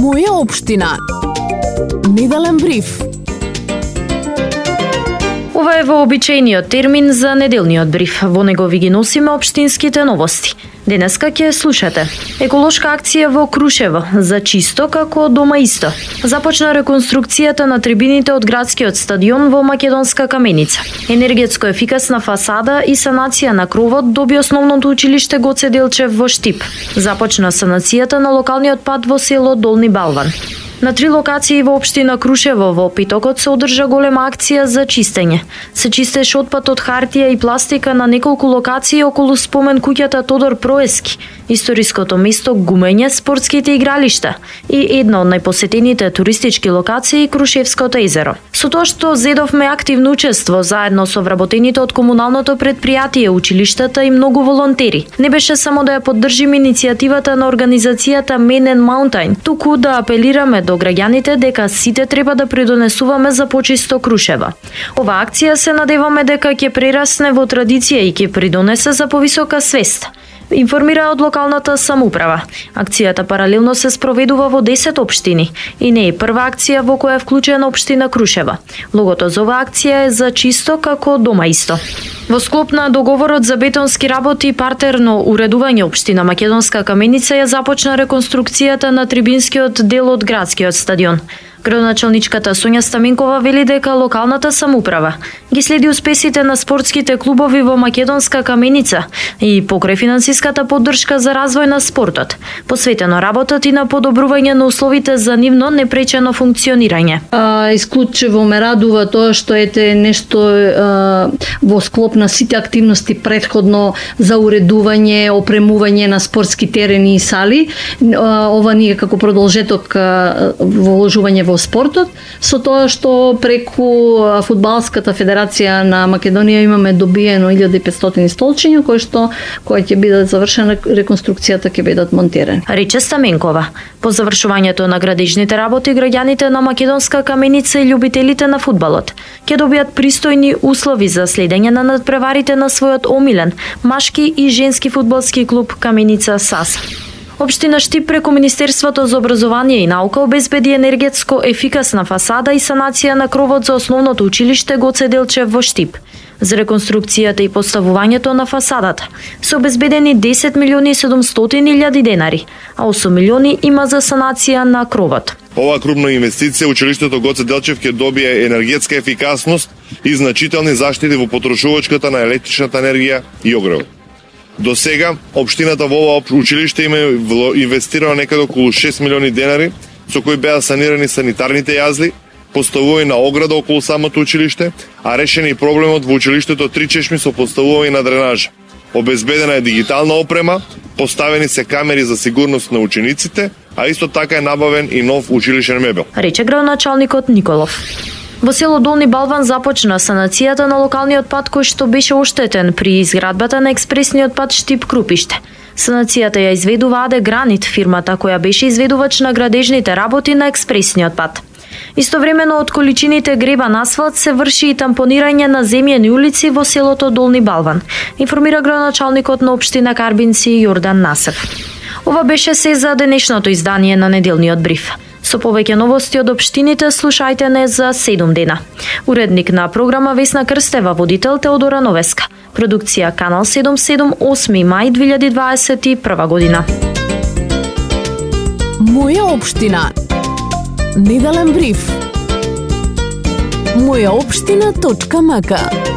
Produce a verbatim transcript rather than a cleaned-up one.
Моја општина. Неделен бриф. Ова е вообичаениот термин за неделниот бриф. Во него ви ги носиме општинските новости. Денеска ќе слушате: еколошка акција во Крушево за чисто како дома исто. Започна реконструкцијата на трибините од градскиот стадион во Македонска каменица. Енергетско ефикасна фасада и санација на кровот доби основното училиште Гоце Делчев во Штип. Започна санацијата на локалниот пат во село Долни Балван. На три локации во општина Крушево во петокот се одржа голема акција за чистење. Се чистеше отпад од хартија и пластика на неколку локации околу спомен куќата Тодор Проески, историското место Гумење, спортските игралишта и една од најпосетените туристички локации Крушевското езеро. Со тоа што зедовме активно учество заедно со вработените од комуналното предпријатие, училиштата и многу волонтери. Не беше само да ја поддржиме иницијативата на организацијата Men and Mountain, туку да апелираме до граѓаните дека сите треба да придонесуваме за почисто Крушево. Ова акција се надеваме дека ќе прерасне во традиција и ќе придонесе за повисока свест, информира од локалната самоуправа. Акцијата паралелно се спроведува во десет општини и не е прва акција во која е вклучена општина Крушево. Логото за оваа акција е за чисто како дома исто. Во склоп на договорот за бетонски работи и партерно уредување, општина Македонска каменица ја започна реконструкцијата на трибинскиот дел од градскиот стадион. Градоначалничката Сонја Стаменкова вели дека локалната самоуправа ги следи успесите на спортските клубови во Македонска каменица и покрај финансиската поддршка за развој на спортот, посветено работат и на подобрување на условите за нивно непречено функционирање. А, исклучиво ме радува тоа што ете нешто а, во склоп на сите активности претходно за уредување, опремување на спортски терени и сали. А, ова ние како продолжеток а, во вложување во спортот, со тоа што преку Фудбалската федерација на Македонија имаме добиено илјада и петстотини столчиња кои што кои ќе бидат завршена реконструкцијата ќе бидат монтирани. Рече Стаменкова. По завршувањето на градежните работи, граѓаните на Македонска каменица и љубителите на фудбалот ќе добијат пристојни услови за следење на надпреварите на својот омилен машки и женски фудбалски клуб Каменица САС. Општина Штип преку Министерството за образование и наука обезбеди енергетско ефикасна фасада и санација на кровот за основното училиште Гоце Делчев во Штип. За реконструкцијата и поставувањето на фасадата се обезбедени десет милиони и седумстотини илјади денари, а осум милиони има за санација на кровот. Ова крупна инвестиција училиштето Гоце Делчев ќе добие енергетска ефикасност и значителни заштити во потрошувачката на електричната енергија и огревот. До сега, општината во ова училиште има инвестирано некаде околу шест милиони денари, со кои беа санирани санитарните јазли, поставување на ограда околу самото училиште, а решени и проблемот во училиштето три чешми со поставување на дренажа. Обезбедена е дигитална опрема, поставени се камери за сигурност на учениците, а исто така е набавен и нов училишен мебел. Рече градоначалникот Николов. Во село Долни Балван започна санацијата на локалниот пат кој што беше оштетен при изградбата на експресниот пат Штип-Крупиште. Санацијата ја изведува АД Гранит, фирмата која беше изведувач на градежните работи на експресниот пат. Истовремено од количините гребан асфалт се врши и тампонирање на земјени улици во селото Долни Балван, информира градоначалникот на општина Карбинци Јордан Насев. Ова беше се за денешното издание на неделниот бриф. Со повеќе новости од општините слушајте не за седум дена. Уредник на програма Весна Крстева, водител Теодора Новеска. Продукција Канал седум седум, осми мај две илјади дваесет и прва година. Моја општина. Неделен бриф. моја општина точка м к